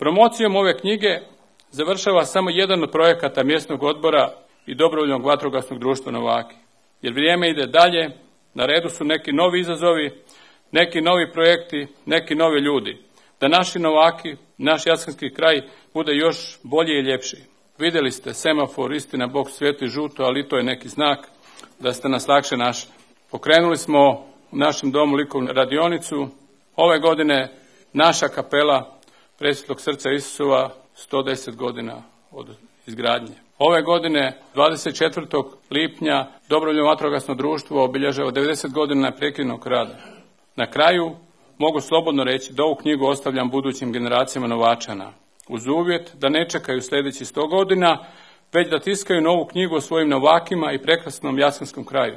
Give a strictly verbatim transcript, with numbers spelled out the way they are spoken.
Promocijom ove knjige završava samo jedan od projekata mjesnog odbora i dobrovoljnog vatrogasnog društva Novaki. Jer vrijeme ide dalje, na redu su neki novi izazovi, neki novi projekti, neki novi ljudi. Da naši Novaki, naš Jaskinski kraj bude još bolji i ljepši. Vidjeli ste semafor, istina, Bog svijetli žuto, ali to je neki znak da ste nas lakše našli. Pokrenuli smo u našem domu likovnu radionicu. Ove godine naša kapela Presvetlog srca Isusova sto deset godina od izgradnje. Ove godine, dvadeset četvrtog lipnja, dobrovoljno vatrogasno društvo obilježava devedeset godina neprekidnog rada. Na kraju mogu slobodno reći da ovu knjigu ostavljam budućim generacijama Novačana, uz uvjet da ne čekaju sljedeći sto godina, već da tiskaju novu knjigu o svojim Novakima i prekrasnom Jaskinskom kraju.